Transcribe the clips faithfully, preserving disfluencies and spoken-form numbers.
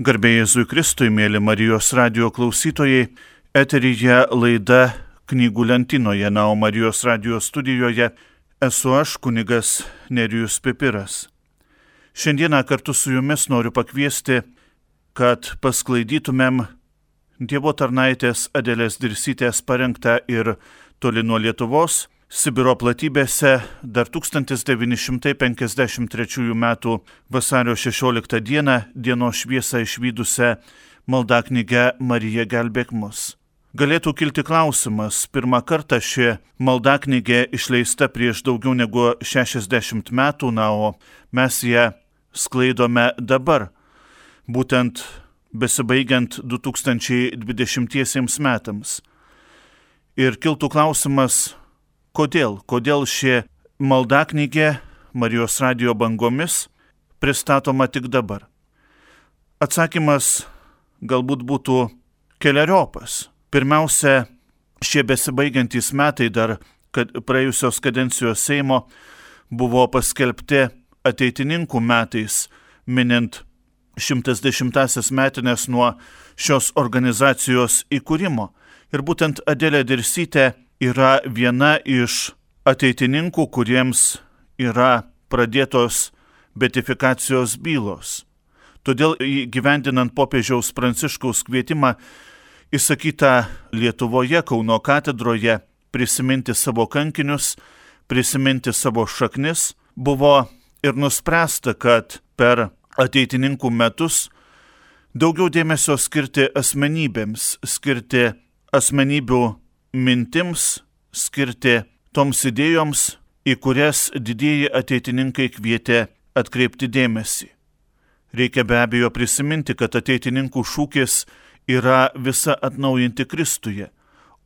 Garbė Jėzui Kristui, mėly Marijos radijo klausytojai, eteryje laida Knygų lentynoje, na, o Marijos radijo studijoje esu aš, kunigas Nerijus Pipiras. Šiandieną kartu su jumis noriu pakviesti, kad pasklaidytumėm Dievo tarnaitės Adelės Dirsytės parengtą ir toli nuo Lietuvos, Sibiro platybėse dar tūkstantis devyni šimtai penkiasdešimt trečiųjų metų vasario šešioliktą dieną dienos šviesą išvydusią maldaknygę Marija gelbėk mus. Galėtų kilti klausimas, pirmą kartą ši maldaknygė išleista prieš daugiau negu šešiasdešimt metų, na, o mes ją sklaidome dabar, būtent besibaigiant du tūkstančiai dvidešimtiesiems metams. Ir kiltų klausimas, Kodėl? Kodėl ši maldaknygė Marijos radijo bangomis pristatoma tik dabar? Atsakymas galbūt būtų keleriopas. Pirmiausia, šie besibaigiantys metai dar kad praėjusios kadencijos Seimo buvo paskelbti ateitininkų metais, minint šimtas dešimtąsias metines nuo šios organizacijos įkūrimo. Ir būtent Adelė Dirsytė yra viena iš ateitininkų, kuriems yra pradėtos beatifikacijos bylos. Todėl įgyvendinant popiežiaus Pranciškaus kvietimą įsakytą Lietuvoje, Kauno katedroje, prisiminti savo kankinius, prisiminti savo šaknis, buvo ir nuspręsta, kad per ateitininkų metus daugiau dėmesio skirti asmenybėms, skirti asmenybių mintims, skirti toms idėjoms, į kurias didieji ateitininkai kvietė atkreipti dėmesį. Reikia be abejo prisiminti, kad ateitininkų šūkis yra visa atnaujinti Kristuje,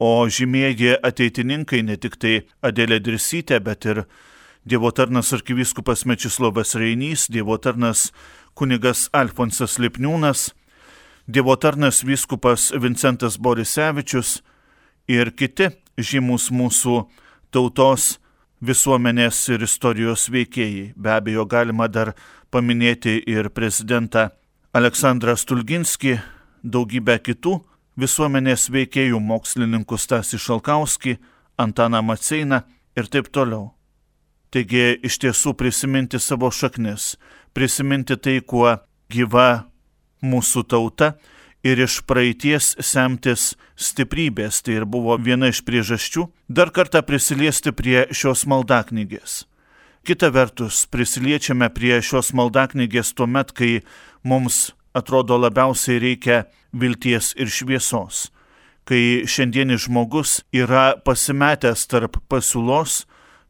o žymieji ateitininkai ne tik tai Adelė Dirsytė, bet ir Dievo tarnas arkivyskupas Mečislovas Reinys, Dievo tarnas kunigas Alfonsas Lipniūnas, Dievo tarnas vyskupas Vincentas Borisevičius ir kiti žymus mūsų tautos, visuomenės ir istorijos veikėjai. Be abejo, galima dar paminėti ir prezidentą Aleksandrą Stulginskį, daugybę kitų visuomenės veikėjų, mokslininkų Stasį Šalkauskį, Antaną Maceiną ir taip toliau. Taigi iš tiesų prisiminti savo šaknis, prisiminti tai, kuo gyva mūsų tauta, ir iš praeities semtis stiprybės, tai ir buvo viena iš priežasčių, dar kartą prisiliesti prie šios maldaknygės. Kita vertus, prisiliečiame prie šios maldaknygės tuomet, kai mums atrodo labiausiai reikia vilties ir šviesos, kai šiandienis žmogus yra pasimetęs tarp pasiūlos,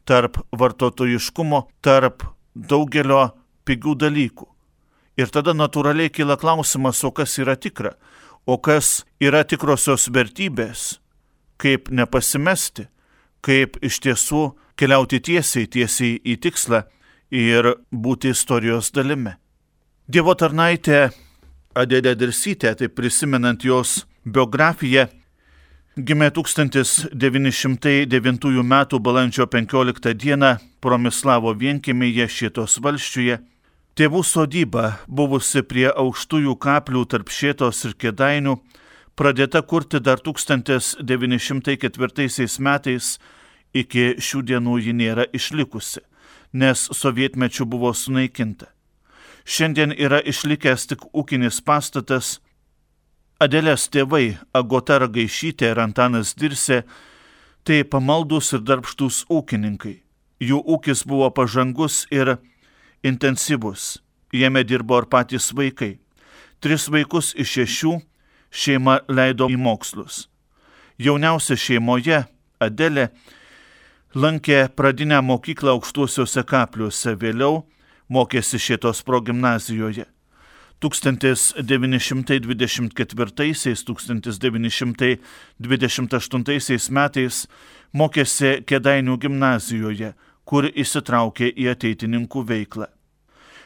tarp vartotojiškumo, tarp daugelio pigių dalykų. Ir tada natūraliai kyla klausimas, o kas yra tikra, o kas yra tikrosios vertybės, kaip nepasimesti, kaip iš tiesų keliauti tiesiai, tiesiai į tikslą ir būti istorijos dalimi. Dievo tarnaitė Adelė Dirsytė, taip prisimenant jos biografiją, gimė tūkstantis devyni šimtai devintųjų metų balandžio penkioliktą dieną Promislavo vienkiemyje Šėtos valsčiuje. Tėvų sodyba, buvusi prie aukštųjų kaplių tarp Šėtos ir Kėdainių, pradėta kurti dar tūkstantis devyni šimtai ketvirtaisiais metais, iki šių dienų ji nėra išlikusi, nes sovietmečiu buvo sunaikinta. Šiandien yra išlikęs tik ūkinis pastatas. Adelės tėvai Agota Ragaišytė ir Antanas Dirsė tai pamaldus ir darbštūs ūkininkai. Jų ūkis buvo pažangus ir intensyvus. Jame dirbo ir patys vaikai. Tris vaikus iš šešių šeima leido į mokslus. Jauniausia šeimoje, Adelė, lankė pradinę mokyklą Aukštuosiuose Kapliuose, vėliau mokėsi Šėtos progimnazijoje. tūkstantis devyni šimtai dvidešimt ketvirtaisiais - tūkstantis devyni šimtai dvidešimt aštuntaisiais metais mokėsi Kėdainių gimnazijoje, kur įsitraukė į ateitininkų veiklą.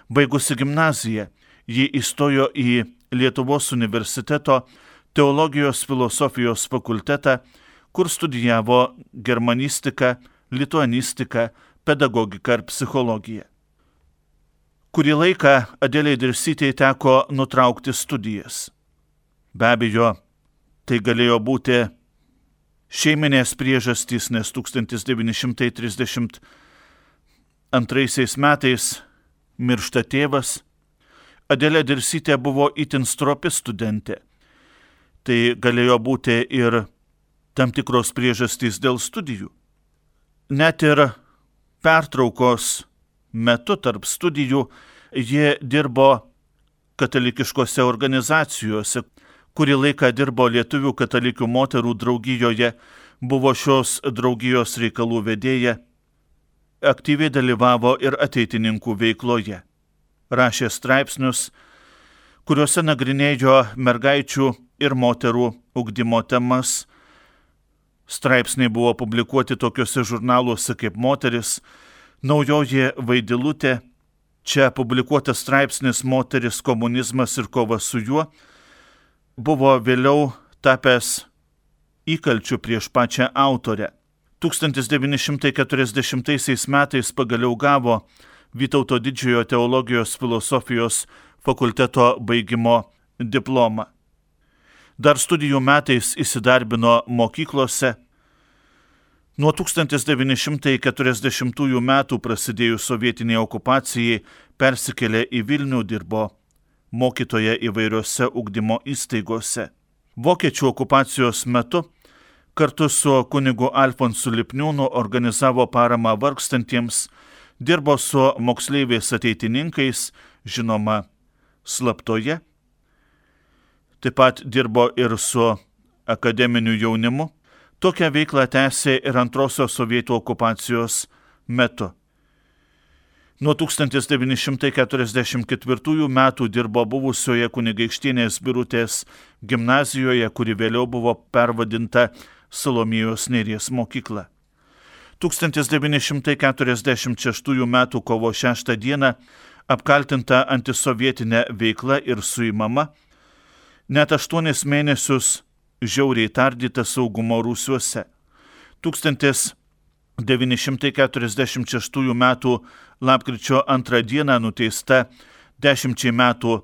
Baigusi gimnaziją, ji įstojo į Lietuvos universiteto teologijos filosofijos fakultetą, kur studijavo germanistiką, lituanistiką, pedagogiką ir psichologiją. Kurį laiką Adelei Dirsytei teko nutraukti studijas. Be abejo, tai galėjo būti šeiminės priežastys, nes tūkstantis devyni šimtai trisdešimt antraisiais metais miršta tėvas. Adelė Dirsytė buvo itin stropi studentė. Tai galėjo būti ir tam tikros priežastys dėl studijų. Net ir pertraukos metu tarp studijų ji dirbo katalikiškose organizacijose. Kurį laiką dirbo Lietuvių katalikių moterų draugijoje, buvo šios draugijos reikalų vedėja, aktyviai dalyvavo ir ateitininkų veikloje. Rašė straipsnius, kuriuose nagrinėjo mergaičių ir moterų ugdymo temas. Straipsniai buvo publikuoti tokiuose žurnaluose kaip Moteris, Naujoji Vaidilutė. Čia publikuotas straipsnis Moteris, komunizmas ir kova su juo buvo vėliau tapęs įkalčiu prieš pačią autorę. tūkstantis devyni šimtai keturiasdešimtaisiais metais pagaliau gavo Vytauto Didžiojo teologijos filosofijos fakulteto baigimo diplomą. Dar studijų metais įsidarbino mokyklose. Nuo tūkstantis devyni šimtai keturiasdešimtųjų metų prasidėjus sovietiniai okupacijai persikėlė į Vilnių, dirbo mokytoja įvairiose ugdymo įstaigose. Vokiečių okupacijos metu kartu su kunigu Alfonsu Lipniūnu organizavo paramą vargstantiems, dirbo su moksleiviais ateitininkais, žinoma, slaptoje. Taip pat dirbo ir su akademiniu jaunimu. Tokią veiklą tęsė ir antrosios sovietų okupacijos metu. Nuo tūkstantis devyni šimtai keturiasdešimt ketvirtųjų metų dirbo buvusioje kunigaikštienės Birutės gimnazijoje, kuri vėliau buvo pervadinta Salomėjos Nėries mokykla. tūkstantis devyni šimtai keturiasdešimt šeštųjų metų kovo šeštą dieną apkaltinta antisovietinė veikla ir suimama, net aštuonis mėnesius žiauriai tardyta saugumo rūsiuose. tūkstantis devyni šimtai keturiasdešimt šeštųjų metų lapkričio antrą dieną nuteista dešimčiai metų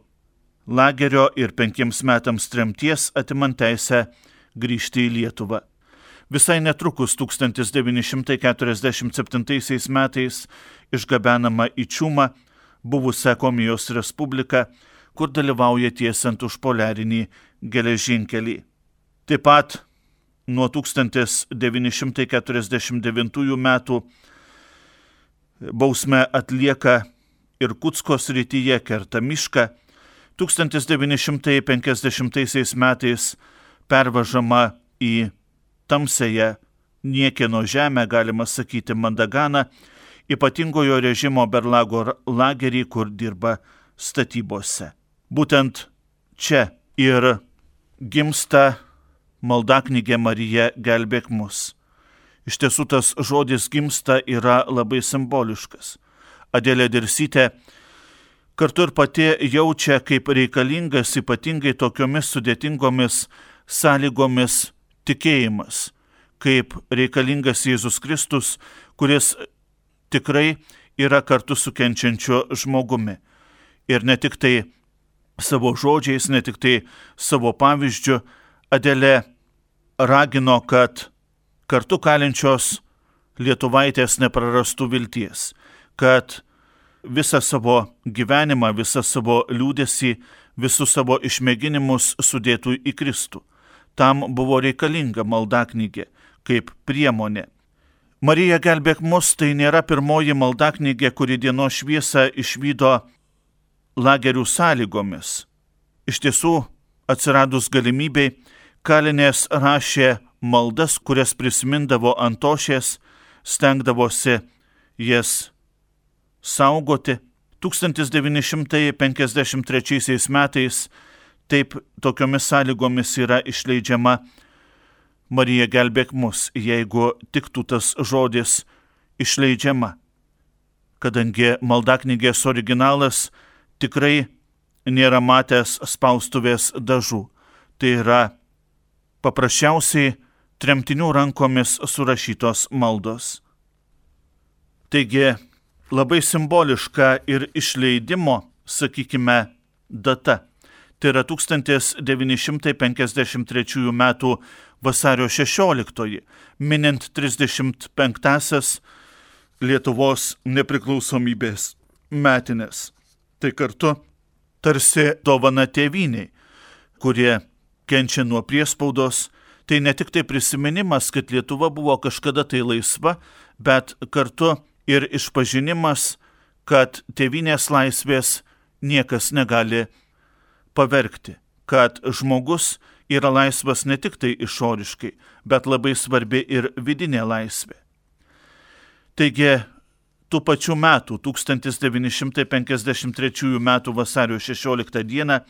lagerio ir penkiems metams tremties, atimant teisę grįžti į Lietuvą. Visai netrukus tūkstantis devyni šimtai keturiasdešimt septintaisiais metais išgabenama į Čiumą, buvusią Komijos Respubliką, kur dalyvauja tiesiant užpoliarinį geležinkelį. Taip pat nuo tūkstantis devyni šimtai keturiasdešimt devintųjų metų bausmę atlieka Irkutsko srityje, kerta mišką. tūkstantis devyni šimtai penkiasdešimtaisiais metais pervažama į tamsiąją niekieno žemę, galima sakyti Mandaganą, ypatingojo režimo Berlago lagerį, kur dirba statybose. Būtent čia ir gimsta maldaknygė Marija gelbėk mus. Iš tiesų tas žodis gimsta yra labai simboliškas. Adelė Dirsytė kartu ir pati jaučia, kaip reikalingas ypatingai tokiomis sudėtingomis sąlygomis tikėjimas, kaip reikalingas Jėzus Kristus, kuris tikrai yra kartu su kenčiančiu žmogumi. Ir ne tik tai savo žodžiais, ne tik tai savo pavyzdžiu, Adelė ragino, kad kartu kalinčios lietuvaitės neprarastų vilties, kad visą savo gyvenimą, visą savo liūdesį, visus savo išmėginimus sudėtų į Kristų. Tam buvo reikalinga maldaknygė kaip priemonė. Marija gelbėk mus tai nėra pirmoji maldaknygė, kuri dienos šviesą išvydo lagerių sąlygomis. Iš tiesų, atsiradus galimybei, kalinės rašė maldas, kurias prisimindavo ant tošies, stengdavosi jas saugoti. tūkstantis devyni šimtai penkiasdešimt trečiaisiais metais taip tokiomis sąlygomis yra išleidžiama Marija gelbėk mus, jeigu tiktų tas žodis išleidžiama. Kadangi maldaknygės originalas tikrai nėra matęs spaustuvės dažų. Tai yra paprasčiausiai tremtinių rankomis surašytos maldos. Taigi labai simboliška ir išleidimo, sakykime, data. Tai yra tūkstantis devyni šimtai penkiasdešimt trečiųjų metų vasario šešioliktoji, minint trisdešimt penktąsias Lietuvos nepriklausomybės metines. Tai kartu tarsi dovana tėvyniai, kurie kenčia nuo priespaudos. Tai ne tik tai prisiminimas, kad Lietuva buvo kažkada tai laisva, bet kartu ir išpažinimas, kad tėvynės laisvės niekas negali pavergti, kad žmogus yra laisvas ne tik tai išoriškai, bet labai svarbi ir vidinė laisvė. Taigi, tų pačių metų, tūkstantis devyni šimtai penkiasdešimt trečiųjų metų vasario šešioliktą dieną,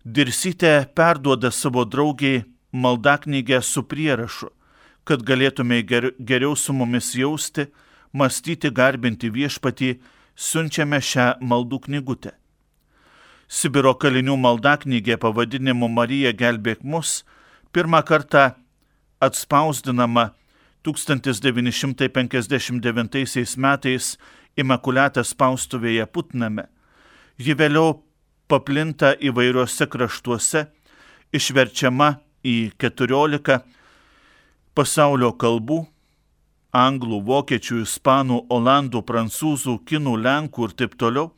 Dirsytė perduoda savo draugiai maldaknygę su prierašu, kad galėtume ger- geriau su mumis jausti, mąstyti, garbinti viešpatį, siunčiame šią maldų knygutę. Sibiro kalinių maldaknygė pavadinimu Marija gelbėk mus pirmą kartą atspausdinama tūkstantis devyni šimtai penkiasdešimt devintaisiais metais Imakuliatas spaustuvėje Putname. Ji vėliau paplinta įvairiuose kraštuose, išverčiama į keturiolika pasaulio kalbų – anglų, vokiečių, ispanų, olandų, prancūzų, kinų, lenkų ir taip toliau.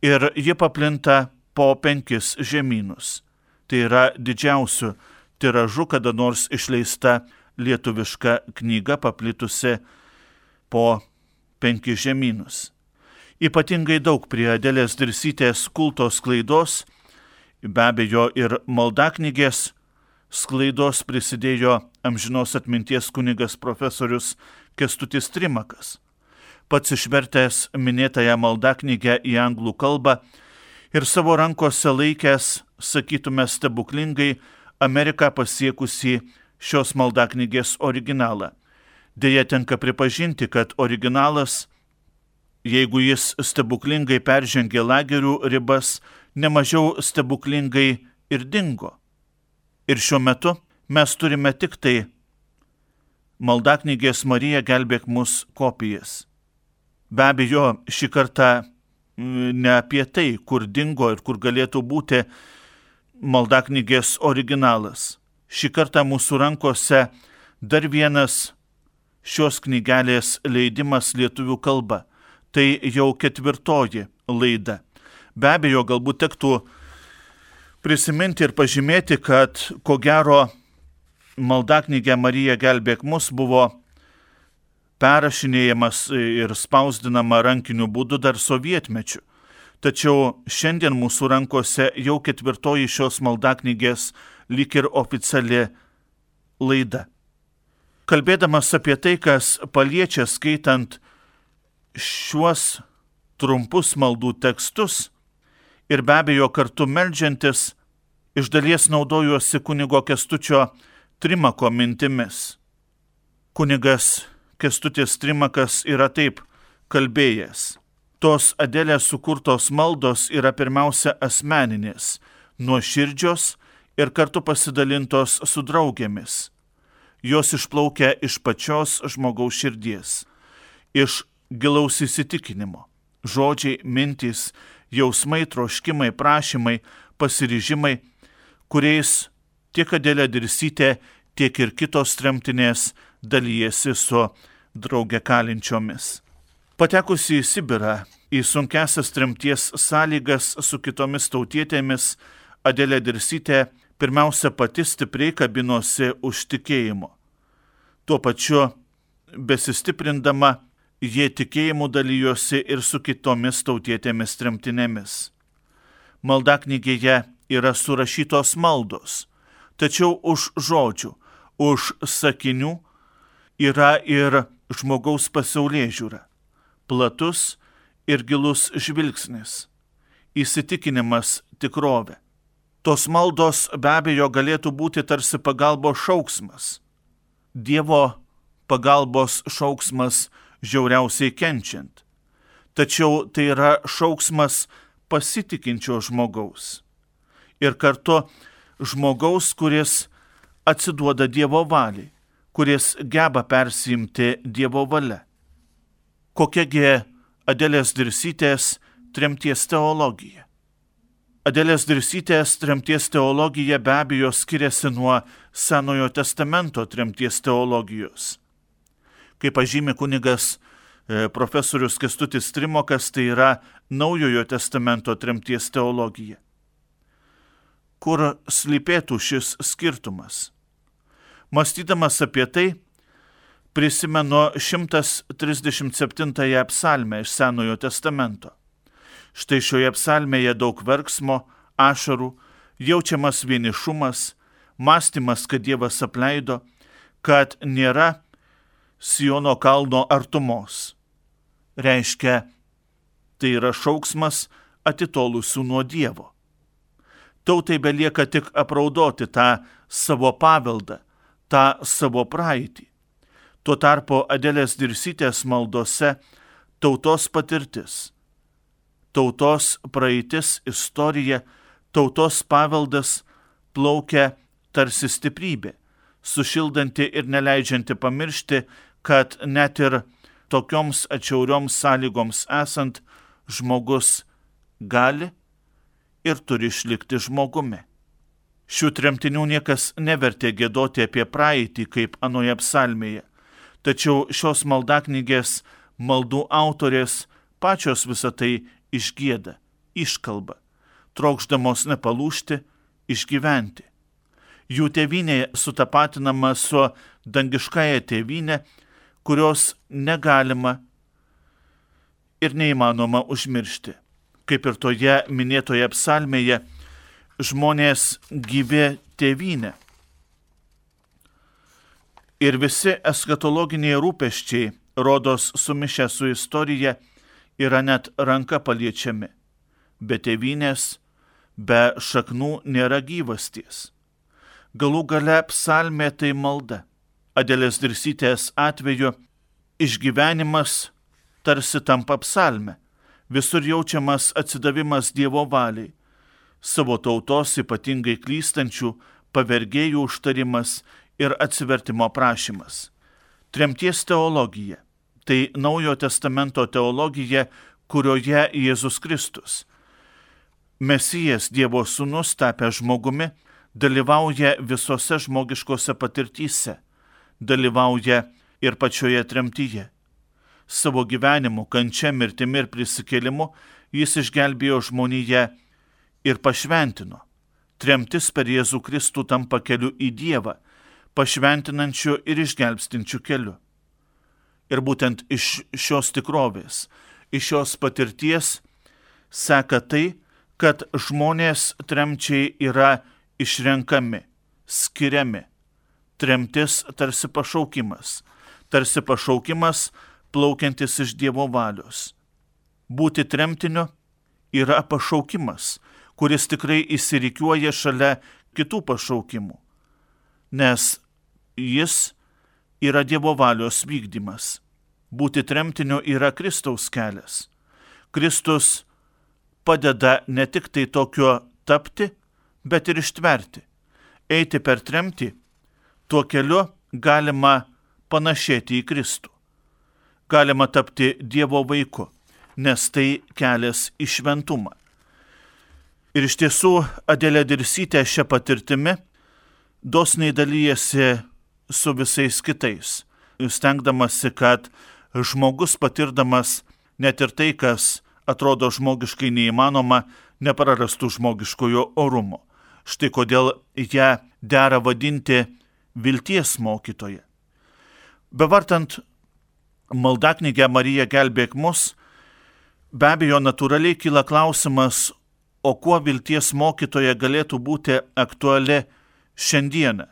Ir ji paplinta po penkis žemynus. Tai yra didžiausiu tiražu kada nors išleista lietuviška knyga paplitusi po penkis žemynus. Ypatingai daug prie Adelės Dirsytės kulto sklaidos, be abejo ir maldaknygės sklaidos prisidėjo amžinos atminties kunigas profesorius Kęstutis Trimakas. Pats išvertęs minėtąją maldaknygę į anglų kalbą ir savo rankose laikęs, sakytume stebuklingai, Ameriką pasiekusį šios maldaknygės originalą. Deja, tenka pripažinti, kad originalas, jeigu jis stebuklingai peržengė lagerių ribas, nemažiau stebuklingai ir dingo. Ir šiuo metu mes turime tik tai maldaknygės Marija gelbėk mus kopijas. Be abejo, šį kartą ne apie tai, kur dingo ir kur galėtų būti maldaknygės originalas. Šį kartą mūsų rankose dar vienas šios knygelės leidimas lietuvių kalba. Tai jau ketvirtoji laida. Be abejo, galbūt tektų prisiminti ir pažymėti, kad ko gero maldaknygė Marija gelbėk mus buvo perrašinėjamas ir spausdinama rankiniu būdu dar sovietmečiu. Tačiau šiandien mūsų rankose jau ketvirtoji šios maldaknygės lyg ir oficiali laida. Kalbėdamas apie tai, kas paliečia skaitant šiuos trumpus maldų tekstus ir be abejo kartu meldžiantis, iš dalies naudojuosi kunigo Kęstučio Trimako mintimis. Kunigas Kęstutis Trimakas yra taip kalbėjęs. Tos Adelės sukurtos maldos yra pirmiausia asmeninės, nuoširdžios ir kartu pasidalintos su draugėmis. Jos išplaukia iš pačios žmogaus širdies, iš gilaus įsitikinimo. Žodžiai, mintys, jausmai, troškimai, prašymai, pasiryžimai, kuriais tiek Adelė Dirsytė, tiek ir kitos tremtinės dalyjasi su drauge kalinčiomis. Patekusi į Sibirą, į sunkiasias tremties sąlygas su kitomis tautietėmis, Adelė Dirsytė pirmiausia pati stipriai kabinosi už tikėjimo. Tuo pačiu, besistiprindama, jie tikėjimu dalyjosi ir su kitomis tautietėmis tremtinėmis. Maldaknygėje yra surašytos maldos, tačiau už žodžių, už sakinių yra ir žmogaus pasaulėžiūra, platus ir gilus žvilgsnis, įsitikinimas tikrovė. Tos maldos be abejo galėtų būti tarsi pagalbos šauksmas. Dievo pagalbos šauksmas žiauriausiai kenčiant. Tačiau tai yra šauksmas pasitikinčio žmogaus. Ir kartu žmogaus, kuris atsiduoda Dievo valiai, kuris geba persiimti Dievo valia. Kokiagi Adelės Dirsytės tremties teologija? Adelės Dirsytės tremties teologija be abejo skiriasi nuo Senojo testamento tremties teologijos. Kaip pažymi kunigas e, profesorius Kęstutis Trimokas, tai yra Naujojo testamento tremties teologija. Kur slypėtų šis skirtumas? Mąstydamas apie tai, prisimenu šimtas trisdešimt septintąją psalmę iš Senojo testamento. Štai šioje psalmėje daug verksmo, ašarų, jaučiamas vienišumas, mąstymas, kad Dievas apleido, kad nėra Siono kalno artumos. Reiškia, tai yra šauksmas atitolusių nuo Dievo. Tautai belieka tik apraudoti tą savo paveldą, tą savo praeitį. Tuo tarpu Adelės Dirsytės maldose tautos patirtis, tautos praeitis, istorija, tautos paveldas plaukia tarsi stiprybė, sušildanti ir neleidžianti pamiršti, kad net ir tokioms atšiaurioms sąlygoms esant žmogus gali ir turi išlikti žmogumi. Šių tremtinių niekas nevertė giedoti apie praeitį kaip anoje psalmėje, tačiau šios maldaknygės maldų autorės pačios visą tai išgieda, iškalba, trokšdamos nepalūžti, išgyventi. Jų tėvynė sutapatinama su dangiškąja tėvynė, kurios negalima ir neįmanoma užmiršti. Kaip ir toje minėtoje psalmėje, žmonės gyvi tėvynė. Ir visi eschatologiniai rūpesčiai, rodos sumišę su istorija, yra net ranka paliečiami. Be tėvynės, be šaknų nėra gyvasties. Galų gale psalmė tai malda. Adelės Dirsytės atveju išgyvenimas tarsi tampa psalme. Visur jaučiamas atsidavimas Dievo valiai. Savo tautos ypatingai klystančių pavergėjų užtarimas ir atsivertimo prašymas. Tremties teologija. Tai Naujojo testamento teologija, kurioje Jėzus Kristus, Mesijas Dievo sūnus tapęs žmogumi, dalyvauja visose žmogiškose patirtyse, dalyvauja ir pačioje tremtyje. Savo gyvenimu, kančia, mirtimi ir prisikėlimu jis išgelbėjo žmoniją ir pašventino. Tremtis per Jėzų Kristų tampa keliu į Dievą, pašventinančiu ir išgelbstinčiu keliu. Ir būtent iš šios tikrovės, iš šios patirties seka tai, kad žmonės tremčiai yra išrenkami, skiriami. Tremtis tarsi pašaukimas, tarsi pašaukimas plaukiantis iš Dievo valios. Būti tremtiniu yra pašaukimas, kuris tikrai įsirikiuoja šalia kitų pašaukimų, nes jis yra Dievo valios vykdymas. Būti tremtiniu yra Kristaus kelias. Kristus padeda ne tik tai tokio tapti, bet ir ištverti. Eiti per tremtį, tuo keliu galima panašėti į Kristų. Galima tapti Dievo vaiku, nes tai kelias į šventumą. Ir iš tiesų Adelė Dirsytė šią patirtimi dosniai dalyjasi su visais kitais, stengdamasi, kad žmogus patirdamas net ir tai, kas atrodo žmogiškai neįmanoma, neprarastų žmogiškojo orumo. Štai kodėl ją dera vadinti vilties mokytoja. Bevartant maldaknygę Marija gelbėk mus, be abejo natūraliai kyla klausimas, o kuo vilties mokytoja galėtų būti aktuali šiandieną.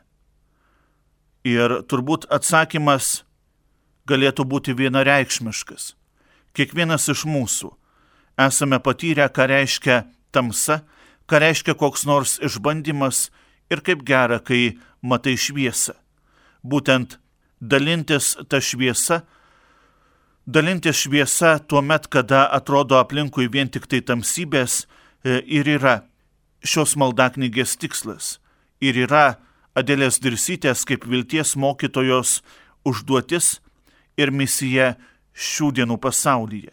Ir turbūt atsakymas galėtų būti vienareikšmiškas. Kiekvienas iš mūsų esame patyrę, ką reiškia tamsa, ką reiškia koks nors išbandymas ir kaip gera, kai matai šviesą. Būtent dalintis tą šviesą, dalintis šviesa tuo met, kada atrodo aplinkui vien tik tai tamsybės, ir yra šios maldaknygės tikslas. Ir yra Adelės Dirsytės kaip vilties mokytojos užduotis ir misija šių dienų pasaulyje.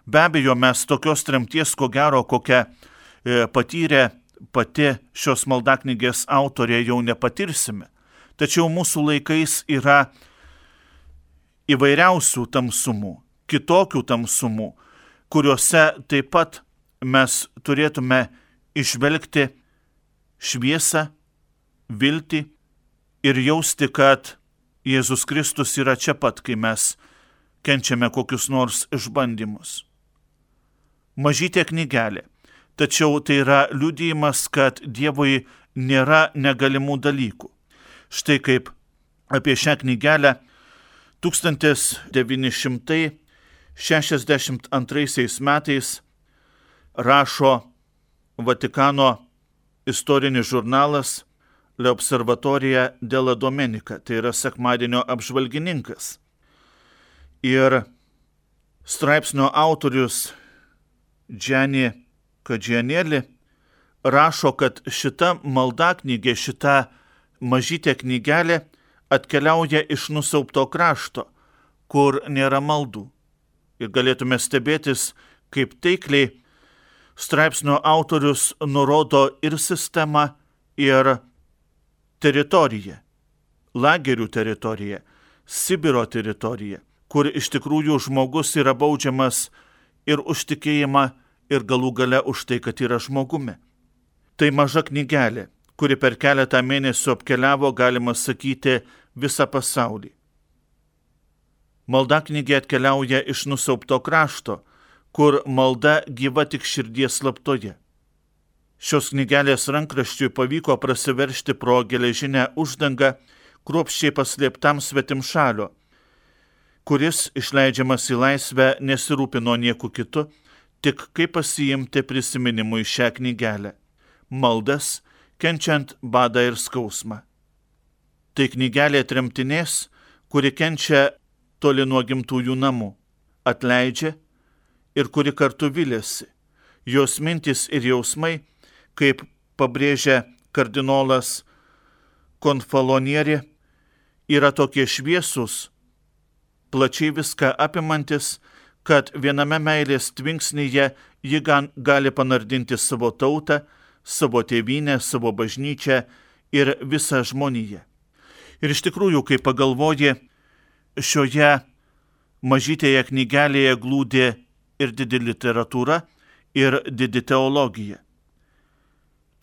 Be abejo, mes tokios tremties, ko gero, kokią e, patyrė pati šios maldaknygės autorė, jau nepatirsime. Tačiau mūsų laikais yra įvairiausių tamsumų, kitokių tamsumų, kuriuose taip pat mes turėtume išvelgti šviesą, viltį ir jausti, kad Jėzus Kristus yra čia pat, kai mes kenčiame kokius nors išbandymus. Mažytė knygelė, tačiau tai yra liudijimas, kad Dievui nėra negalimų dalykų. Štai kaip apie šią knygelę tūkstantis devyni šimtai šešiasdešimt antraisiais metais rašo Vatikano istorinis žurnalas L'Observatorija della Domenica, tai yra sekmadienio apžvalgininkas. Ir straipsnio autorius Gianni Kadžianėlį rašo, kad šita maldaknygė, šita mažytė knygelė atkeliauja iš nusiaubto krašto, kur nėra maldų. Ir galėtume stebėtis, kaip taikliai straipsnio autorius nurodo ir sistemą, ir teritoriją, lagerių teritoriją, Sibiro teritoriją, kur iš tikrųjų žmogus yra baudžiamas ir už tikėjimą, ir galų gale už tai, kad yra žmogumi. Tai maža knygelė, kuri per keletą mėnesių apkeliavo, galima sakyti, visą pasaulį. Maldaknygė atkeliauja iš nusiaubto krašto, kur malda gyva tik širdies slaptoje. Šios knygelės rankraščiui pavyko prasiveržti pro geležinę uždangą kruopščiai paslėptam svetimšalio, kuris, išleidžiamas į laisvę, nesirūpino nieku kitu, tik kaip pasiimti prisiminimui šią knygelę – maldas, kenčiant badą ir skausmą. Tai knygelė tremtinės, kuri kenčia toli nuo gimtųjų namų, atleidžia ir kuri kartu viliasi. Jos mintis ir jausmai, kaip pabrėžia kardinolas Konfalonieri, yra tokie šviesūs, plačiai viską apimantis, kad viename meilės tvinksnyje ji gali panardinti savo tautą, savo tėvynę, savo bažnyčią ir visą žmoniją. Ir iš tikrųjų, kai pagalvoji, šioje mažytėje knygelėje glūdi ir didi literatūra, ir didi teologija.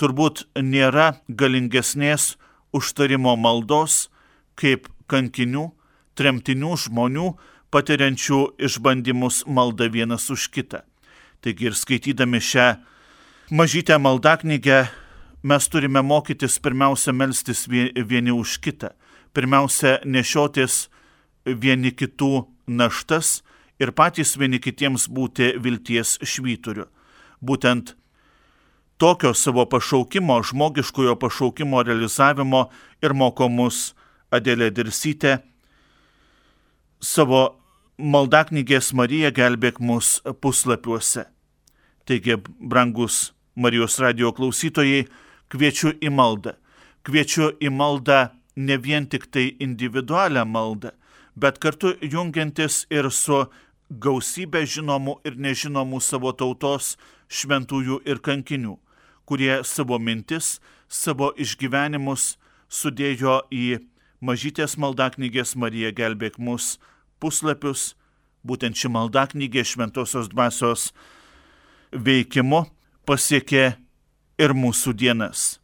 Turbūt nėra galingesnės užtarimo maldos, kaip kankinių, tremtinių žmonių, patiriančių išbandymus maldą vienas už kitą. Taigi ir skaitydami šią mažytę maldaknygę, mes turime mokytis pirmiausia melstis vieni už kitą, pirmiausia nešiotis vieni kitų naštas ir patys vieni kitiems būti vilties švyturiu. Būtent tokio savo pašaukimo, žmogiškojo pašaukimo realizavimo ir moko mus Adelė Dirsytė savo maldaknygės Marija gelbėk mus puslapiuose. Taigi, brangus Marijos radijo klausytojai, kviečiu į maldą. Kviečiu į maldą ne vien tik tai individualią maldą, bet kartu jungiantis ir su gausybė žinomų ir nežinomų savo tautos šventųjų ir kankinių, kurie savo mintis, savo išgyvenimus sudėjo į mažytės maldaknygės Marija gelbėk mus puslapius. Būtent ši maldaknygė šventosios dvasios veikimu pasiekė ir mūsų dienas.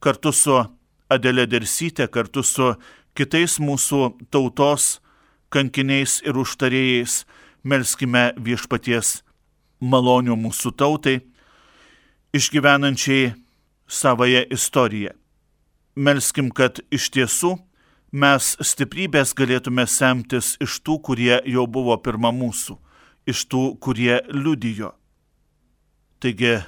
Kartu su Adelė Dirsytė, kartu su kitais mūsų tautos kankiniais ir užtarėjais melskime viešpaties malonių mūsų tautai, išgyvenančiai savąją istoriją. Melskim, kad iš tiesų mes stiprybės galėtume semtis iš tų, kurie jau buvo pirma mūsų, iš tų, kurie liudijo. Taigi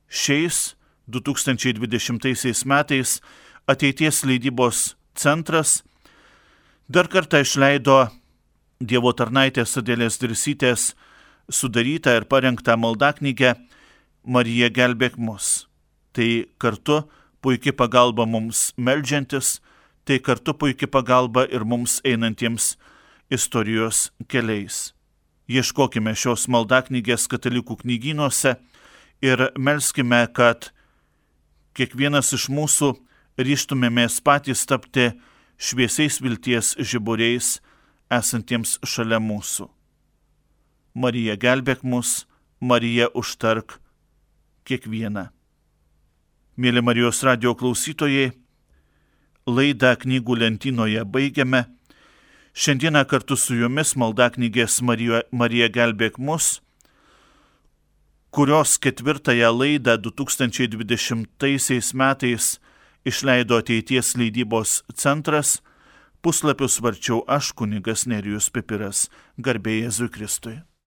šiais du tūkstančiai dvidešimtaisiais metais Ateities leidybos centras dar kartą išleido Dievo tarnaitės Adelės Dirsytės sudarytą ir parengtą maldaknygę Marija gelbėk mus. Tai kartu puikiai pagalba mums meldžiantis, tai kartu puikiai pagalba ir mums einantiems istorijos keliais. Ieškokime šios maldaknygės katalikų knygynuose ir melskime, kad kiekvienas iš mūsų ryžtumėmės patys tapti šviesiais vilties žiburiais esantiems šalia mūsų. Marija, gelbėk mus, Marija, užtark kiekvieną. Mėly Marijos radijo klausytojai, laidą Knygų lentynoje baigiame. Šiandieną kartu su jumis maldaknygės Marija, Marija gelbėk mus, kurios ketvirtąją laidą du tūkstančiai dvidešimtaisiais metais išleido Ateities leidybos centras, puslapius varčiau aš, kunigas Nerijus Pipiras. Garbė Jėzui Kristui.